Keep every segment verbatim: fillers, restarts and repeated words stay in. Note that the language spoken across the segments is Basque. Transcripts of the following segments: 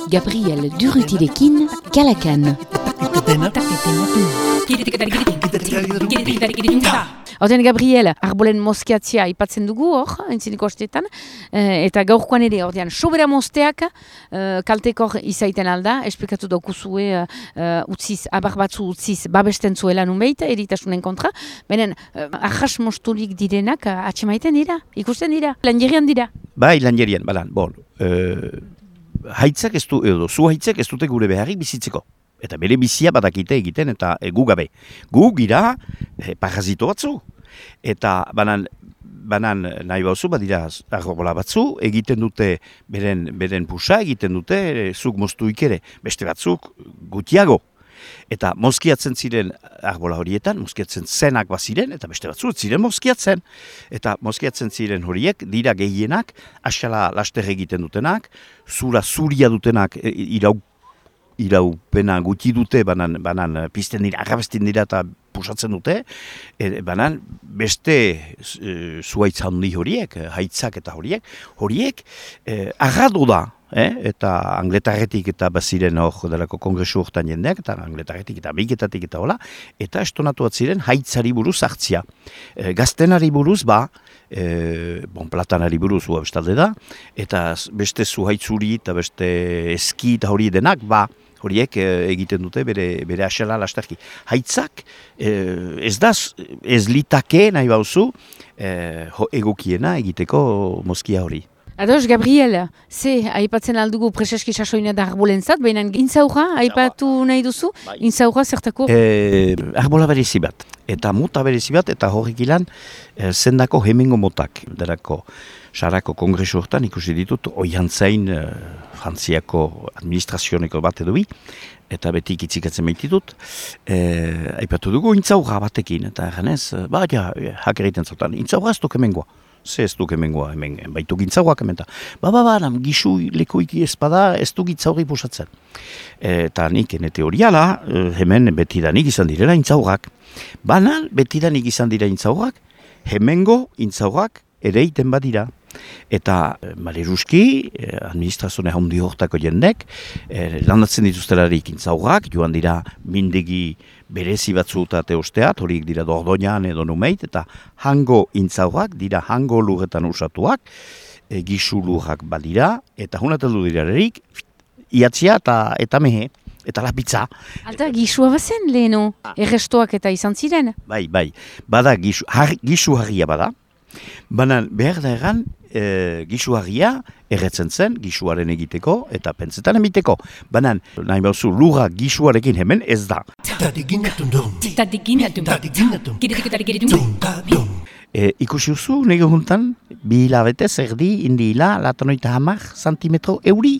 Gabriel Durutilekin, Kalakan. Horten Gabriel, arbolen mozkiatzia ipatzen dugu hor, entziniko astetan, eta gaurkoan ere, ordean, sobera mozteak kaltekor izaiten alda, esplikatu daukuzue utziz, abar batzu utziz, babesten zuela nunbeit, eritasunen kontra, benen, ahas mosturik direnak atxemaiten dira, ikusten dira, lanjerian dira. Bai, lanjerian, balan, bon, haitzak ez du, edo, zu haitzak ez dute gure beharrik bizitzeko. Eta bere bizia badakite egiten eta e, gu gabe. Gu gira e, parazito batzu. Eta banan, banan nahi bauzu, badira arrobola batzu, egiten dute beren, beren pusa, egiten dute e, zuk moztuik ere. Beste batzuk gutiago. Eta mozkiatzen ziren arbola horietan, mozkiatzen zenak baziren, eta beste batzu ziren mozkiatzen. Eta mozkiatzen ziren horiek, dira gehienak, asala laster egiten dutenak, zura zuria dutenak e, irau iraupena guti dute, banan, banan pizten dira, agabestin dira eta pusatzen dute, e, banan beste e, zuaitz handi horiek, haitzak eta horiek, horiek e, agado da, eh? Eta angletarretik eta baziren hor delako kongresu hortan jendeak, eta angletarretik eta biketatik eta hola, eta estonatu bat ziren haitzari buruz hartzia. E, gaztenari buruz ba, e, bon, platanari buruz hua bestalde da, eta beste zuhaitzuri eta beste eski eta hori denak, ba, horiek e, egiten dute bere, bere asela lasterki. Haitzak e, ez da, ez litake nahi bauzu e, egokiena egiteko mozkia hori. Ados, Gabriel, ze aipatzen aldugu preseski sasoina da arbolentzat, baina intzaurra aipatu nahi duzu? Bai. Intzaurra zertako? E, arbola berezi bat, eta mota berezi bat, eta horrek ilan e, zendako hemengo motak. Derako, Sarako kongresu hortan ikusi ditut, oiantzain e, Frantziako administrazioneko bat edo bi, eta beti ikitzikatzen baititut, e, aipatu dugu intzaurra batekin, eta erganez, ba, ja, hakeriten zautan, intzaurra ez duk hemengoa. Ze ez duk hemengoa, hemen baitu gintzaurak hemen da. Ba, ba, ba, nam, gisu lekoiki ezpada ez du gintzaurri pusatzen. Eta nik, ene teoriala, hemen betidanik izan direla intzaurak. Banan, betidanik izan dira intzaurak, hemengo intzaurak ere iten badira. Eta maleruski, administrazione handi hortako jendek, landatzen dituztelarik intzaurak, joan dira mindegi berezi batzu eta teosteat, horiek dira Dordoñan edo Numeit, eta hango intzaurak dira hango lurretan usatuak, e, gisu lurrak badira, eta hunateldu dira erik, iatzia eta, eta mehe, eta lapitza. Alta, gisua bazen leheno, errestoak eta izan ziren? Bai, bai, bada gisu, har, gisu harria bada, baina behar da egan, E, gisuagia erretzen zen, gisuaren egiteko eta pentsetan emiteko. Baina, nahi bauzu, lurra gisuarekin hemen ez da. E, ikusi uzu, nire juntan, bi hilabete zerdi, indi hila, latanoita hamar santimetro euri.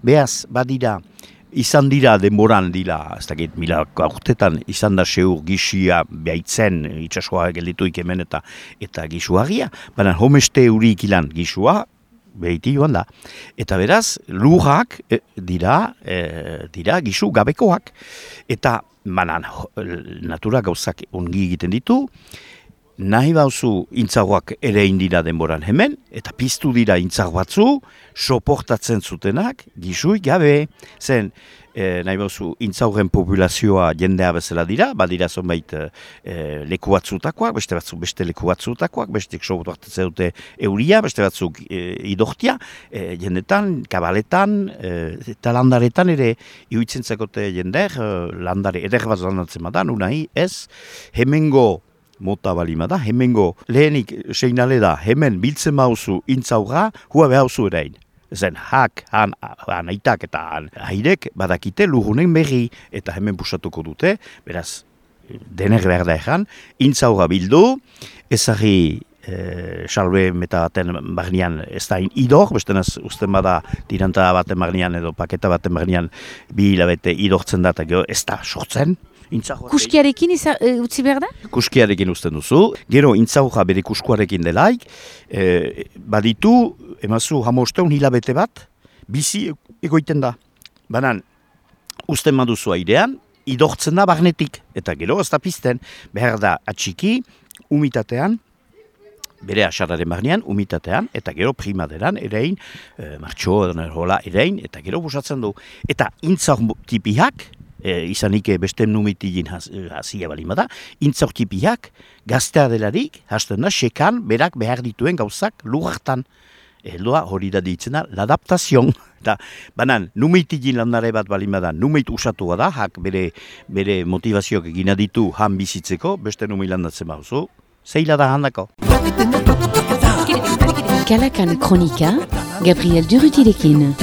Beaz, badira, izan dira denboran dira, ez dakit, mila urtetan izan da seur gisia behitzen, itxasua geldituik hemen eta eta gisuagia, baina homeste eurik ilan gisua, behiti joan da. Eta beraz, lurrak e, dira, e, dira gisu gabekoak. Eta, banan, natura gauzak ongi egiten ditu, nahi bauzu intzagoak ere indira denboran hemen, eta piztu dira intzag batzu, soportatzen zutenak, gisuik gabe. Zen, e, nahi bauzu, intzaugen populazioa jendea bezala dira, badira zonbait e, leku batzutakoak, beste batzuk beste leku batzutakoak, bestek soportatzen dute euria, beste batzuk e, idortia, e, jendetan, kabaletan, e, eta landaretan ere iuitzen zakote jender, e, landare eder bat landatzen badan, unai ez, hemengo mota balima da, hemengo lehenik seinale da, hemen biltzen mauzu intzaurra, hua behauzu erein. Zen hak, han, han aitak eta han hairek badakite lurrunen berri eta hemen pusatuko dute, beraz, dener behar da egan, intzaurra bildu, ezari e, salbe meta baten barnean ez da idor, bestenaz usten bada tiranta baten barnean edo paketa baten barnean bi hilabete idortzen da eta gero ez da sortzen. Kuskiarekin iza, e, utzi behar da? Kuskiarekin uzten duzu. Gero intzauja bere kuskuarekin delaik, e, baditu, emazu hamosteun hilabete bat, bizi egoiten da. Banan, uzten baduzu airean, idortzen da barnetik. Eta gero ez da pizten, behar da atxiki, umitatean, bere asararen barnean, umitatean, eta gero primaderan, erein, e, martxo, hola, erein, eta gero busatzen du. Eta intzaur tipiak, e, izanik beste numitigin hazia balima da, intzaur tipiak, gaztea delarik, hasten da, sekan, berak behar dituen gauzak lurartan. Heldoa hori da ditzen da, l'adaptazion. Eta, banan, numeitigin landare bat balima da, numeit usatua da, hak bere, bere motivazioak egina ditu han bizitzeko, beste numei landatzen bauzu, zeila da handako. Kalakan Kronika, Gabriel Durutirekin.